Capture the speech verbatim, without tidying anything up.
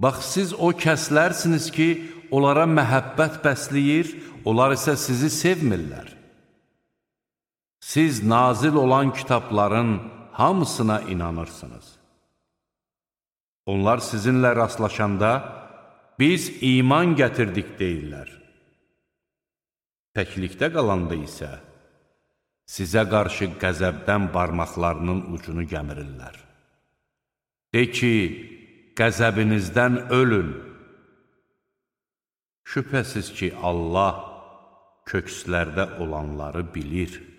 Bax, siz o kəslərsiniz ki, onlara məhəbbət bəsləyir, onlar isə sizi sevmirlər. Siz nazil olan kitabların hamısına inanırsınız. Onlar sizinlə rastlaşanda, biz iman gətirdik deyirlər. Təklikdə qalanda isə, sizə qarşı qəzəbdən barmaqlarının ucunu gəmirirlər. De ki, qəzəbinizdən ölün. Şübhəsiz ki, Allah kökslərdə olanları bilir.